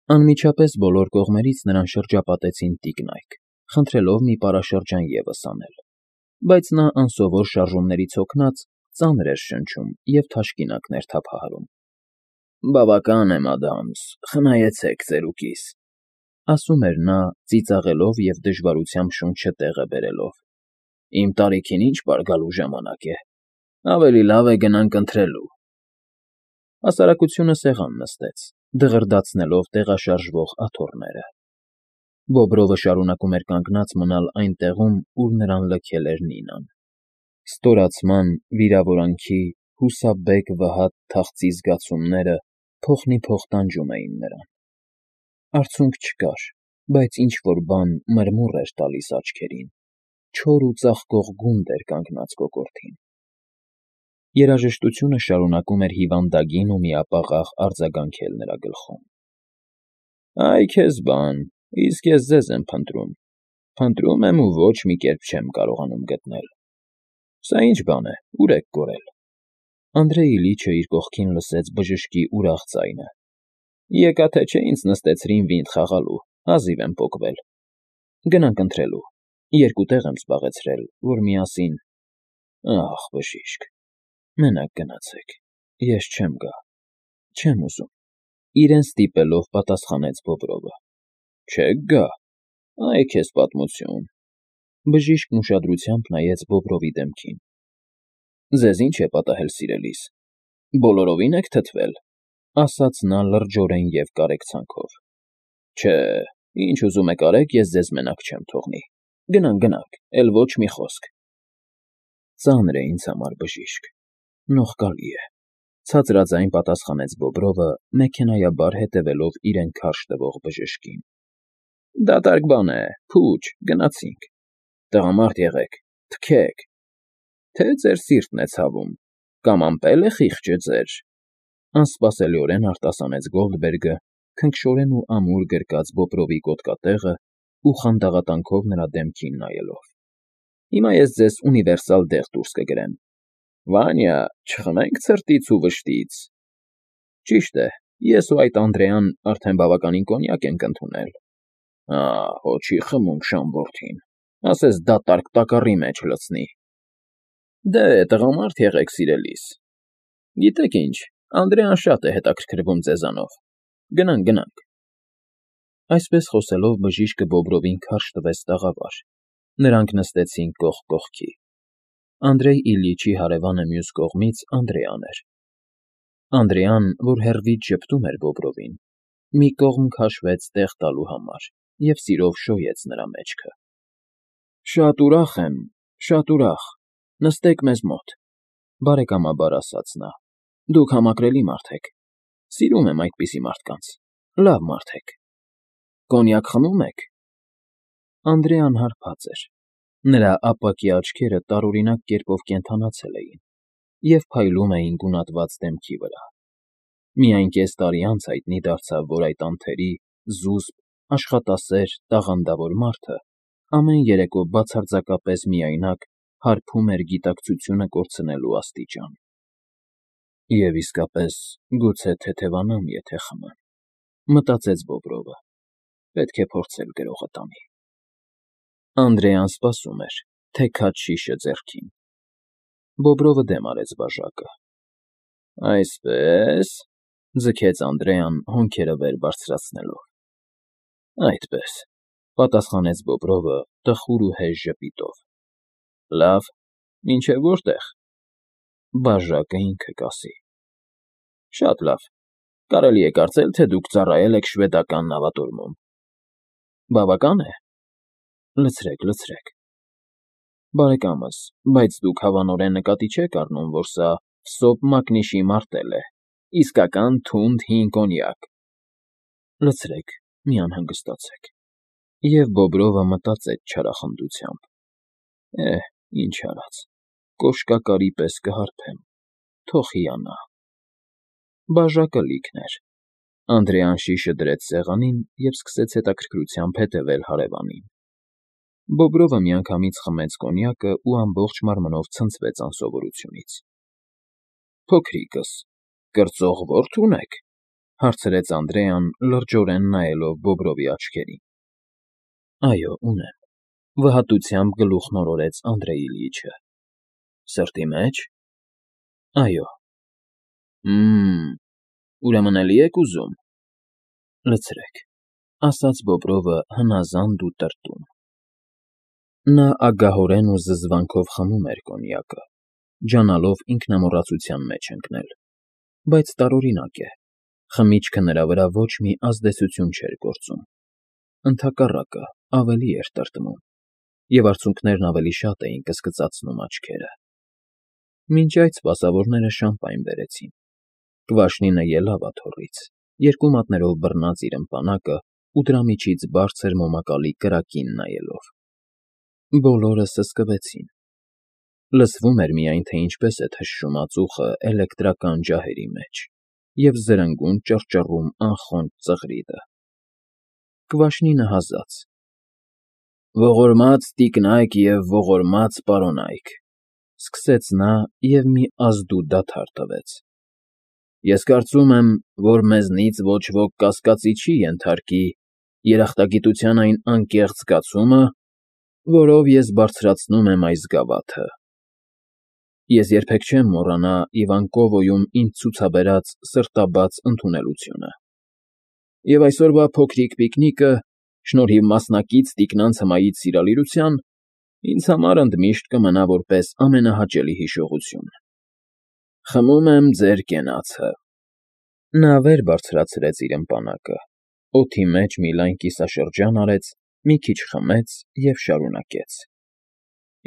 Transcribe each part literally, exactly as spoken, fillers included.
Անմիջապես բոլոր կողմերից նրան շրջապատեցին տիկնայք, խնդրելով մի պարաշրջան ևս անել, բայց նա անսովոր շարժումներից հոգնած ծանր էր շնչում և թաշկինակներ թափահարում։ ֊ Բավական է, մադամս, խնայեցեք ծերուկիս,֊ ասում էր նա, ծիծաղելով և դժվարությամբ շունչը տեղը բերելով։֊ Իմ տարիքին ի՞նչ պարգալու ժամանակ է, ավելի լավ է գնանք ընթրելու… Հասարակությունը սեղան նստեց, դղրդացնելով տեղաշարժվող աթոռները։ Բոբրովը շարունակում էր կանգնած մնալ այն տեղում, ուր նրան լքել էր Նինան։ Ստորացման, վիրավորանքի, հուսաբեկ վհատ թախծի զգացումները փոխնիփոխ տանջում էին նրան։ Արցունք չկար, բայց ինչ֊որ բան մրմուռ էր տալիս աչքերին, չոր ու ծաղկող գունդ էր կանգնած կոկորդին։ Երաժշտությունը շարունակում էր հիվանդագին ու միապաղաղ արձագանքել նրա գլխում։ ֊ Այ քեզ բան, իսկ ես ձեզ եմ փնտրում, փնտրում եմ ու ոչ մի կերպ չեմ կարողանում գտնել… Սա ի՞նչ բան է, ուր եք կորել… Անդրեյ Իլիչը իր կողքին լսեց բժշկի ուրախ ձայնը։ ֊ Եկա թե չէ ինձ նստեցրին վինտ խաղալու, հազիվ եմ պոկվել… Գնանք ընթրելու, երկու տեղ եմ զբաղեցրել, որ միասին… Ախ, բժիշկ… Մենակ գնացեք, ես չեմ գա, չեմ ուզում,֊ իրեն ստիպելով պատասխանեց Բոբրովը։ ֊ Չեք գա… Այ քեզ պատմություն… Բժիշկն ուշադրությամբ նայեց Բոբրովի դեմքին։ ֊ Ձեզ ի՞նչ է պատահել, սիրելիս, բոլորովին եք թթվել,֊ ասաց նա լրջորեն և կարեկցանքով։ ֊ Չէ, ինչ ուզում եք արեք, ես ձեզ մենակ չեմ թողնի… Գնանք, գնանք, էլ ոչ մի խոսք… Ծանր է ինձ համար, բժիշկ, նողկալի է,֊ ցածրաձայն պատասխանեց Բոբրովը, մեքենայաբար հետևելով իրեն քարշ տվող բժշկին։ ֊ Դատարկ բան է, փուչ, գնացինք… Տղամարդ եղեք, թքեք… Թե ձեր սիրտն է ցավում, կամ ամպել է խիղճը ձեր,֊ անսպասելիորեն արտասանեց Գոլդբերգը, քնքշորեն ու ամուր գրկած Բոբրովի գոտկատեղը ու խանդաղատանքով նրա դեմքին նայելով։ ֊ Հիմա ես ձեզ ունիվերսալ դեղ դուրս կգրեմ… Վանյա, չխմենք ցրտից ու վշտից… Ճիշտ է, ես ու այդ Անդրեան արդեն բավականին կոնյակ ենք ընդունել… Ա, հո չի խմում Շան որդին, ասես դատարկ տակառի մեջ լցնի… Դե, տղամարդ եղեք, սիրելիս… Գիտեք ինչ, Անդրեան շատ է հետաքրքրվում ձեզանով… Գնանք, գնանք… Այսպես խոսելով բժիշկը Բոբրովին քարշ տվեց տաղավար, նրանք նստեցին կողք կողքի… Անդրեյ Իլիչի հարևանը մյուս կողմից Անդրեան էր։ Անդրեան, որ հեռվից ժպտում էր Բոբրովին, մի կողմ քաշվեց տեղ տալու համար և սիրով շոյեց նրա մեջքը։ ֊ Շատ ուրախ եմ, շատ ուրախ, նստեք մեզ մոտ,֊ բարեկամաբար ասաց նա,֊ դուք համակրելի մարդ եք, սիրում եմ այդպիսի մարդկանց, լավ մարդ եք… Կոնյակ խմում եք… Անդրեան հարբած էր, նրա ապակի աչքերը տարօրինակ կերպով կենդանացել էին և փայլում էին գունատված դեմքի վրա… Միայն կես տարի անց հայտնի դարձավ, որ այդ անթերի, զուսպ, աշխատասեր, տաղանդավոր մարդը ամեն երեկո բացարձակապես միայնակ հարբում էր գիտակցությունը կորցնելու աստիճան։ «Եվ իսկապես, գուցե թեթևանամ, եթե խմեմ,֊ մտածեց Բոբրովը,֊ պետք է փորձել գրողը տանի…» Անդրեան սպասում էր, թեքած շիշը ձեռքին։ Բոբրովը դեմ արեց բաժակը։ ֊ Այսպե՞ս,֊ ձգեց Անդրեան, հոնքերը վեր բարձրացնելով։ ֊ Այդպես,֊ պատասխանեց Բոբրովը տխուր ու հեժ ժպիտով։ ֊ Լավ, մինչև որտե՞ղ։ ֊ Բաժակը ինքը կասի։ ֊ Շատ լավ, կարելի է կարծել, թե դուք ծառայել եք շվեդական նավատորմում… Բավական է… Լցրեք, լցրեք… Բարեկամս, բայց դուք հավանորեն նկատի չեք առնում, որ սա վսոպ մակնիշի մարտել է, իսկական թունդ հին կոնյակ… Լցրեք, մի անհանգստացեք… Եվ Բոբրովը մտածեց չարախնդությամբ. «Էհ, ինչ արած, կոշկակարի պես կհարբեմ, թող հիանա…»։ Բաժակը լիքն էր։ Անդրեան շիշը դրեց սեղանին և սկսեց հետաքրքրությամբ հետևել հարևանին։ Բոբրովը միանգամից խմեց կոնյակը ու ամբողջ մարմնով ցնցվեց անսովորությունից։ ֊ Փոքրիկս, կրծող ո՞րդ ունեք,֊ Հարցրեց Անդրեան, լրջորեն նայելով Բոբրովի աչքերին։ Այո, ունեմ, վհատությամբ գլուխ նորորեց Անդրեյ Իլյիչը։ Սրտի մեջ։ Այո։ Հմ, ուրեմն էլի եք ուզում։ Լցրեք, ասաց Բոբրովը հնազանդ ու տրտում։ Նա ագահորեն ու զզվանքով խմում էր կոնյակը, ջանալով ինքնամոռացության մեջ ընկնել, բայց տարօրինակ է, խմիչքը նրա վրա ոչ մի ազդեցություն չէր գործում, ընդհակառակը ավելի էր տրտմում, և արցունքներն ավելի շատ էին կսկծացնում աչքերը։ Մինչ այդ սպասավորները շամպայն բերեցին։ Կվաշնինը ելավ աթոռից, երկու մատներով բռնած իր ըմպանակը ու դրա միջից բարձր մոմակալի կրակին նայելով։ Բոլորը սսկվեցին։ Լսվում էր միայն, թե ինչպես է թշում ածուխը էլեկտրական ջահերի մեջ և զրնգուն ճռճռում անխոնջ ծղրիդը։ Կվաշնինը հազաց. Ողորմած տիկնայք և ողորմած պարոնայք, սկսեց նա և մի ազդու դադար տվեց։ Ես կարծում եմ, որ մեզնից ոչ ոք կասկածի չի ենթարկի երախտագիտության այն անկեղծ զգացումը, որով ես բարձրացնում եմ այս գավաթը։ Ես երբեք չեմ մոռանա Իվանկովոյում ինձ ցուցաբերած սրտաբաց ընդունելությունը։ Եվ այսօրվա փոքրիկ պիկնիկը, շնորհիվ մասնակից տիկնանց հմայից սիրալիրության, ինձ համար ընդմիշտ կմնա որպես ամենահաճելի հիշողություն։ Խմում եմ ձեր կենացը։ Նա վեր բարձրացրեց իր ըմպանակը, օդի մեջ մի լայն կիսաշրջան արեց, մի քիչ խմեց և շարունակեց.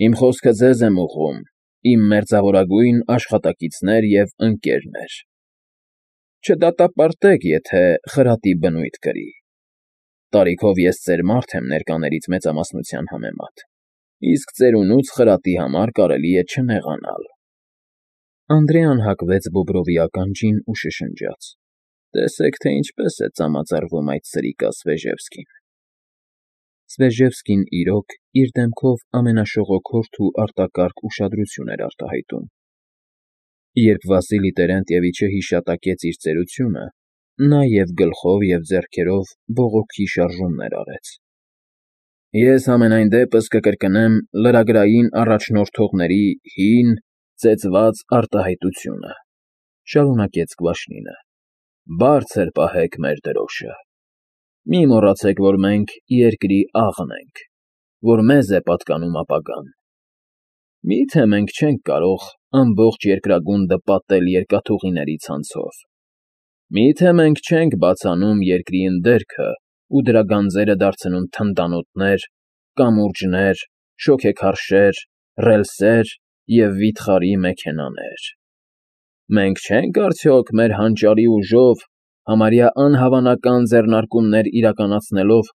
Իմ խոսքը ձեզ եմ ուղղում, իմ մերձավորագույն աշխատակիցներ և ընկերներ։ Չդատապարտեք, եթե խրատի բնույթ կրի։ Տարիքով ես ծեր մարդ եմ ներկաներից մեծամասնության համեմատ, իսկ ծերունուց խրատի համար կարելի է չնեղանալ։ Անդրեան հակվեց Բոբրովի ականջին ու շշնջաց. Տեսեք, թե ինչպես է ծամածարվում այդ սրիկա Սվեժևսկին։ Սվեժևսկին, իրոք, իր դեմքով ամենաշողոքորթ ու արտակարգ ուշադրություն էր արտահայտում։ Երբ Վասիլի Տերենտիևիչը հիշատակեց իր ծերությունը, նա և գլխով և ձեռքերով բողոքի շարժումներ արեց։ Ես համենայն դեպս կկրկնեմ լրագրային առաջնորդողների հին, ծեծված արտահայտությունը, շարունակեց Կվաշնինը. Բարձր պահեք մեր դրոշը։ Մի մոռացեք, որ մենք երկրի աղն ենք, որ մեզ է պատկանում ապագան։ Մի՞թե մենք չենք կարող ամբողջ երկրագունդը պատել երկաթուղիների ցանցով։ Մի՞թե մենք չենք բացանում երկրի ընդերքը ու դրա գանձերը դարձնում թնդանոթներ, կամուրջներ, շոգեքարշեր, ռելսեր և վիթխարի մեքենաներ։ Մենք չենք արդյոք մեր հանճարի ուժով, համարյա անհավանական ձեռնարկումներ իրականացնելով,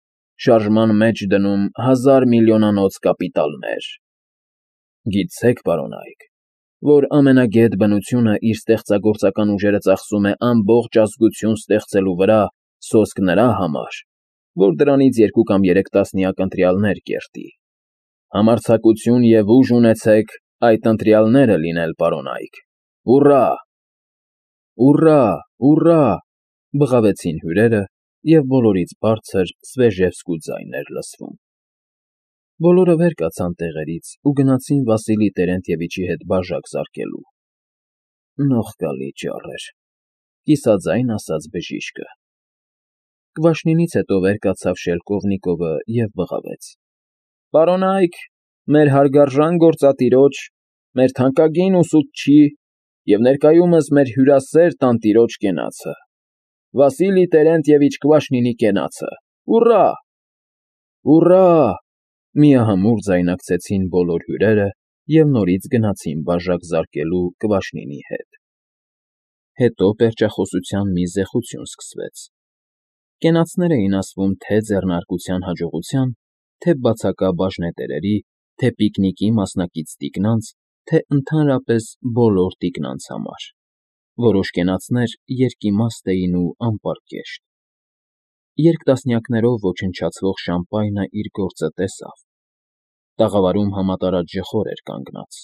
շարժման մեջ դնում հազար միլիոնանոց կապիտալներ։ Գիտցեք, պարոնայք, որ ամենագետ բնությունը իր ստեղծագործական ուժերը ծախսում է ամբողջ ազգություն ստեղծելու վրա սոսկ նրա համար, որ դրանից երկու կամ երեք տասնյակ ընտրյալներ կերտի։ Համարձակություն և ուժ ունեցեք այդ ընտրյալները լինել, պարոնայք։ Հուռա։ Ուռա, ուռա, բղավեցին հյուրերը, և բոլորից բարձր Սվեժևսկու ձայն էր լսվում։ Բոլորը վեր կացան տեղերից ու գնացին Վասիլի Տերենտիևիչի հետ բաժակ զարկելու։ Նողկալի ճառեր, կիսաձայն ասաց բժիշկը։ Կվաշնինից հետո վեր կացավ Շելկովնիկովը և բղավեց. Պարոնայք, մեր հարգարժան գործատիրոջ, մեր թանկագին ուսուցչի և ներկայումս մեր հյուրասեր տանտիրոջ կենացը, Վասիլի Տերենտիևիչ Կվաշնինի կենացը։ Ուռա։ Ուռա, միահամուռ ձայնակցեցին բոլոր հյուրերը և նորից գնացին բաժակ զարկելու Կվաշնինի հետ։ Հետո պերճախոսության մի զեղություն սկսվեց։ Կենացներ էին ասվում թե ձեռնարկության հաջողության, թե բացակա բաժնետերերի, թե պիկնիկի մասնակից տիկնանց, թե ընդհանրապես բոլոր տիկնանց համար։ Որոշ կենացներ երկիմաստ էին ու անպարկեշտ։ Երկտասնյակներով ոչնչացվող շամպայնը իր գործը տեսավ։ Տաղավարում համատարած ժխոր էր կանգնած,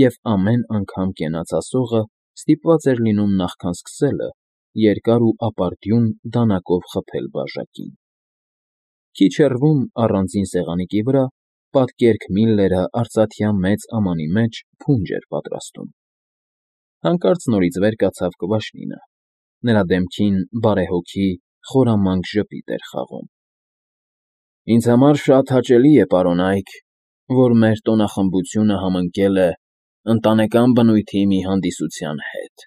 և ամեն անգամ կենաց ասողը ստիպված էր լինում նախքան սկսելը երկար ու ապարդյուն դանակով խփել բաժակին։ Քիչ հեռվում, առանձին սեղանիկի վրա, պատկերք Միլլերը արծաթյա մեծ ամանի մեջ փունջ էր պատրաստում։ Հանկարծ նորից վեր կացավ Կվաշնինը, նրա դեմքին բարեհոգի, խորամանկ ժպիտ էր խաղում։ ֊ Ինձ համար շատ հաճելի է, պարոնայք, որ մեր տոնախմբությունը համընկել է ընտանեկան բնույթի մի հանդիսության հետ,֊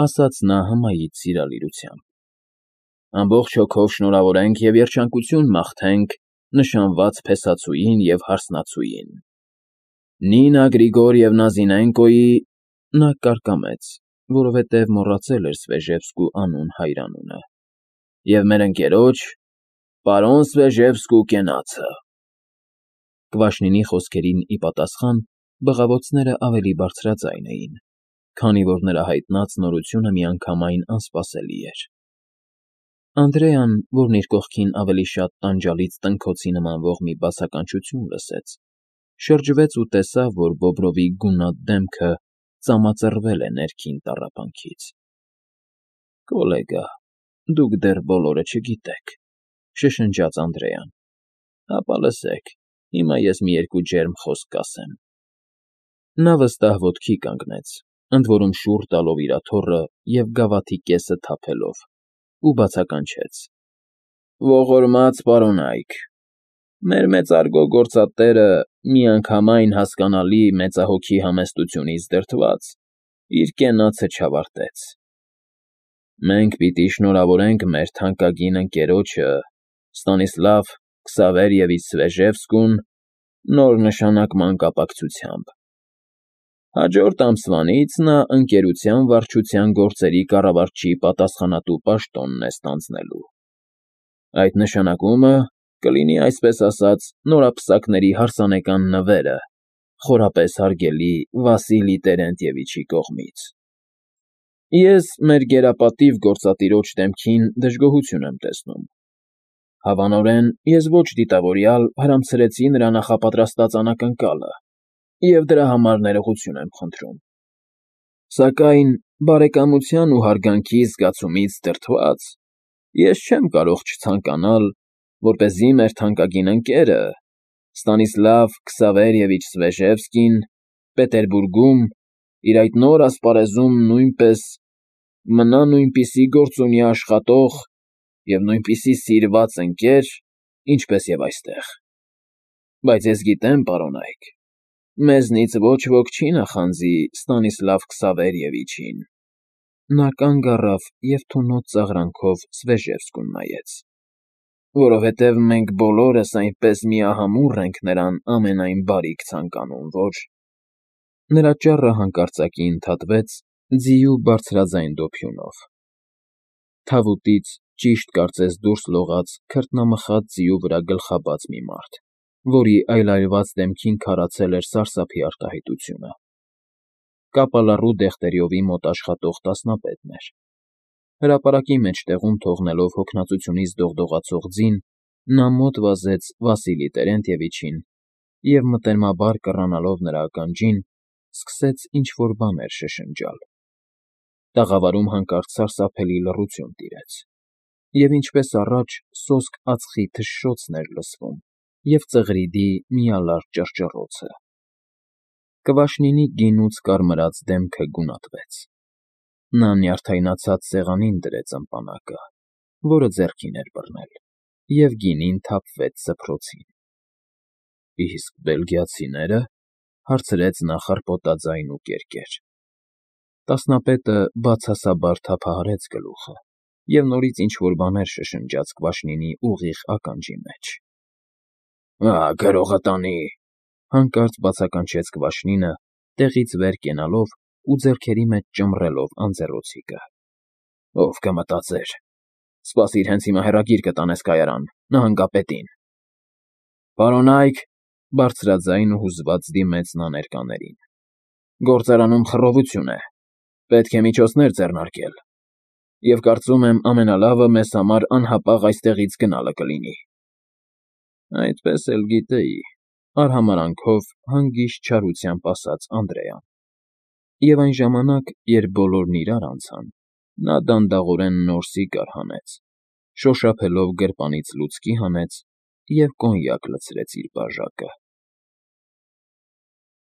ասաց նա հմայիչ սիրալիրությամբ։ Ամբողջ հոգով շնորհավորենք և երջանկություն մաղթենք նշանված փեսացուին և հարսնացուին։ Նինա Գրիգորիևնա Զինենկոյի (նա կարկամեց, որովհետև մոռացել էր Սվեժևսկու անուն հայրանունը) և մեր ընկերոջ, պարոն Սվեժևսկու կենացը… Կվաշնինի խոսքերին ի պատասխան բղավոցները ավելի բարձրաձայն էին, քանի որ նրա հայտնած նորությունը միանգամայն անսպասելի էր։ Անդրեան, որն իր կողքին ավելի շատ տանջալից տնքոցի նմանվող մի բացականչություն լսեց, շրջվեց ու տեսավ, որ Բոբրովի գունատ դեմքը ծամածռվել է ներքին տառապանքից։ ֊ Կոլեգա, դուք դեռ բոլորը չգիտեք,֊ շշնջաց Անդրեան,֊ հապա լսեք, հիմա ես մի երկու ջերմ խոսք կասեմ։ Նա վստահ ոտքի կանգնեց, ընդ որում շուռ տալով իր աթոռը և գավաթի կեսը թափելով, ու բացականչեց. Ողորմած պարոնայք, մեր մեծարգո գործատերը, միանգամայն հասկանալի մեծահոգի համեստությունից դրդված, իր կենացը չավարտեց։ Մենք պիտի շնորհավորենք մեր թանկագին ընկերոջը Ստանիսլավ Քսավերիևիչ Սվեժևսկուն նոր նշանակման կապակցությամբ։ Հաջորդ ամսվանից նա ընկերության վարչության գործերի կառավարչի պատասխանատու պաշտոնն է ստանձնելու։ Այդ նշանակումը կլինի, այսպես ասած, նորապսակների հարսանեկան նվերը խորապես հարգելի Վասիլի Տերենտьևիչի կողմից։ Ես մեր գերապատիվ գործատիրոջ դեմքին դժգոհություն եմ տեսնում։ Հավանորեն, ես ոչ դիտավորյալ հրամցրեցի նրա նախապատրաստած անակնկալը և դրա համար ներողություն եմ խնդրում։ Սակայն բարեկամության ու հարգանքի զգացումից դրդված ես չեմ կարող չցանկանալ, որպեսզի մեր թանկագին ընկերը Ստանիսլավ Քսավերիևիչ Սվեժևսկին Պետերբուրգում իր այդ նոր ասպարեզում նույնպես մնա նույնպիսի գործունյա աշխատող և նույնպիսի սիրված ընկեր, ինչպես և այստեղ։ Բայց ես գիտեմ, պարոնայք, մեզնից ոչ ոք չի նախանձի Ստանիսլավ Քսավերիևիչին։ Նա կանգ առավ և թունոց ծաղրանքով Սվեժևսկուն նայեց։ Որովհետև մենք բոլորս այնպես միահամուռ ենք նրան ամենայն բարիք ցանկանում, որ… Նրա ճառը հանկարծակի ընդհատվեց ձիու բարձրաձայն դոփյունով։ Թավուտից ճիշտ կարծես դուրս լողաց քրտնամխած ձիու վրա գլխաբաց մի մարդ, որի այլայլված դեմքին քարացել էր սարսափի արտահայտությունը։ Կապալառու դեղտերյովի մոտ աշխատող տասնապետն էր։ Հրապարակի մեջտեղում թողնելով հոգնածությունից դողդողացող ձին, նա մոտ վազեց Վասիլի Տերենտьևիչին և, մտերմաբար կռանալով նրա ականջին, սկսեց ինչ֊որ բաներ շշնջալ։ Տաղավարում հանկարծ սարսափելի լռություն տիրեց, և ինչպես առաջ սոսկ ածխի թշշոցն էր լսվում և ծղրիդի միալար ճռճռոցը։ Կվաշնինի գինուց կարմրած դեմքը գունատվեց։ Նա նյարդայնացած սեղանին դրեց ըմպանակը, որը ձեռքին էր բռնել, և գինին թափվեց սփռոցին։ ֊ Իսկ բելգիացինե՞րը,֊ հարցրեց նա խռպոտաձայն ու կերկեր։ Տասնապետը բացասաբար թափահարեց գլուխը և նորից ինչ֊որ բաներ շշնջաց Կվաշնինի ուղիղ ականջի մեջ։ ֊ Ա՜, գրողը տանի,֊ հանկարծ բացականչեց Կվաշնինը, տեղից վեր կենալով ու ձեռքերի մեջ ճմռելով անձեռոցիկը։ ֊ Ով կմտածեր… Սպասիր, հենց հիմա հեռագիր կտանես կայարան, նահանգապետին… Պարոնայք,֊ բարձրաձայն ու հուզված դիմեց նա ներկաներին,֊ գործարանում խռովություն է, պետք է միջոցներ ձեռնարկել, և կարծում եմ ամենալավը մեզ համար անհապաղ այստեղից գնալը կլինի։ ֊ Այդպես էլ գիտեի,֊ արհամարհանքով հանգիստ չարությամբ ասաց Անդրեան։ Եվ այն ժամանակ, երբ բոլորն իրար անցան, Նա դանդաղորեն նոր սիգար հանեց, շոշափելով գրպանից լուցկի հանեց և կոնյակ լցրեց իր բաժակը։